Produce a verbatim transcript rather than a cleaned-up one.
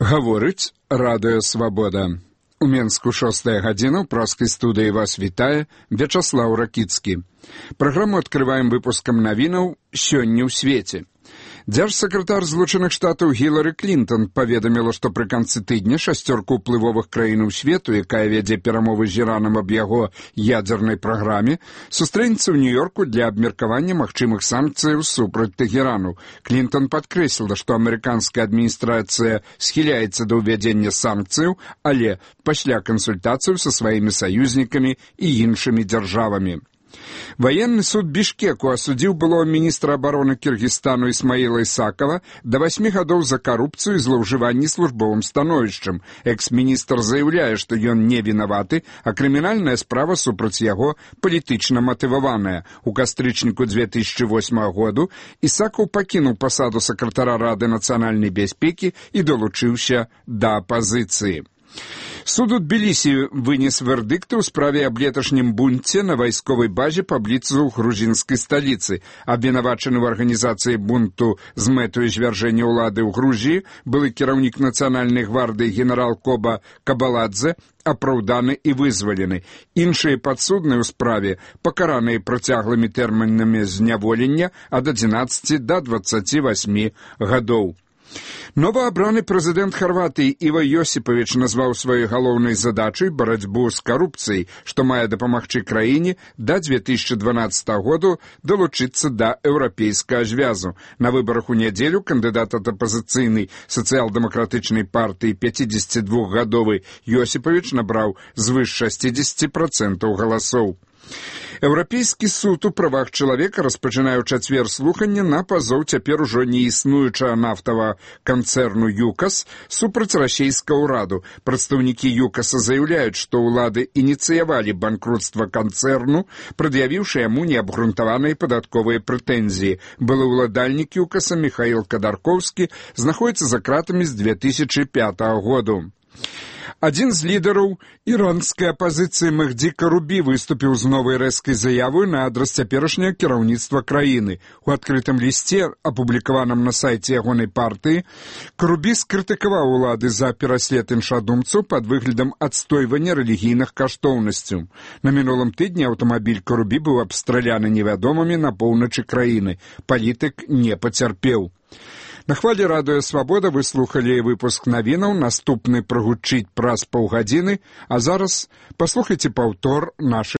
Гаворыць Радыё Свабода. У Менску шостая гадзіна, ў праскай студыі вас вітае Вячаслаў Ракіцкі. Праграму адкрываем выпускам навінаў «Сёння ў свеце». Дзяржсакратар Злучаных Штатаў Гілары Клінтон паведаміла, што пры канцы тыдня шасцёрка ўплывовых краінаў свету, якая вядзе перамовы з Іранам аб яго ядзернай праграме, сустрэнецца ў Нью-Йорку для абмеркавання магчымых санкцыяў супраць Тэхерану. Клінтон падкрэсліла, што амерыканская адміністрацыя схіляецца да ўвядзення санкцыяў, але пасля кансультацыяў са сваімі саюзнікамі і іншымі дзяржавамі. Военный суд Бішкеку осудил былого министра обороны Киргизстану Исмаила Исакова до восьми годов за коррупцию и злоўжыванне службовым становішчам. Экс-министр заявляе, што ён не вінаваты, а крымінальная справа супраць яго палітычна матываваная. У кастрычніку две тысячи восьмого году Исаков пакінуў пасаду сакратара Рады нацыянальнай бяспекі і далучыўся да апазіцыі. Суд у Тбілісі вынес вердыкты ў справе аб леташнім бунце на вайсковай базе паблізу грузінскай сталіцы. Абвінавачаны ў арганізацыі бунту з мэтаю звяржэння ўлады ў Грузіі былы кіраўнік нацыянальнай гвардыі генерал Коба Кабаладзе апраўданы і вызвалены. Іншыя падсудныя ў справе пакараныя працяглымі тэрмінамі зняволення ад адзінаццаці да дваццаці васьмі гадоў. Новоабраны прэзідэнт Харватыі Іва Йосіпавіч назваў сваёй галоўнай задачай барацьбу з карупцыяй, што мае дапамагчы краіне да две тысячи дванаццатого году далучыцца да еўрапейскага звязу. На выбарах у нядзелю кандыдат ад апазіцыйнай сацыял-дэмакратычнай партыі пяцідзесяцідвухгадовы Йосіпавіч набраў звыш шасцідзесяці працэнтаў галасоў. Еўрапейскі суд у правах чалавека распачынае ў чацвер слуханне на пазоў цяпер ужо не існуючага нафтавага канцэрну ЮКАС супраць расійскага ўраду. Прадстаўнікі ЮКАСа заяўляюць, што ўлады ініцыявалі банкрутства канцэрну, прад'явіўшы яму неабгрунтаваныя падатковыя прэтэнзіі. Былы ўладальнік ЮКАСа Міхаіл Кадаркоўскі знаходзіцца за кратамі з две тысячи пятого году. Адзін з лідараў іранскай апазіцыі Мехді Карубі выступіў з новай рэзкай заявай на адрас цяперашняга кіраўніцтва краіны. У адкрытым лісце, апублікаваным на сайце ягонай партыі, Карубі скрытыкаваў улады за пераслед іншадумцаў пад выглядам адстойвання рэлігійных каштоўнасцяў. На мінулым тыдні аўтамабіль Карубі быў абстраляны невядомымі на поўначы краіны. Палітык не пацярпеў. На хвалі Радыё Свабода вы слухалі выпуск навінаў, наступны прагучыць праз паўгадзіны, а зараз паслухайце паўтор нашых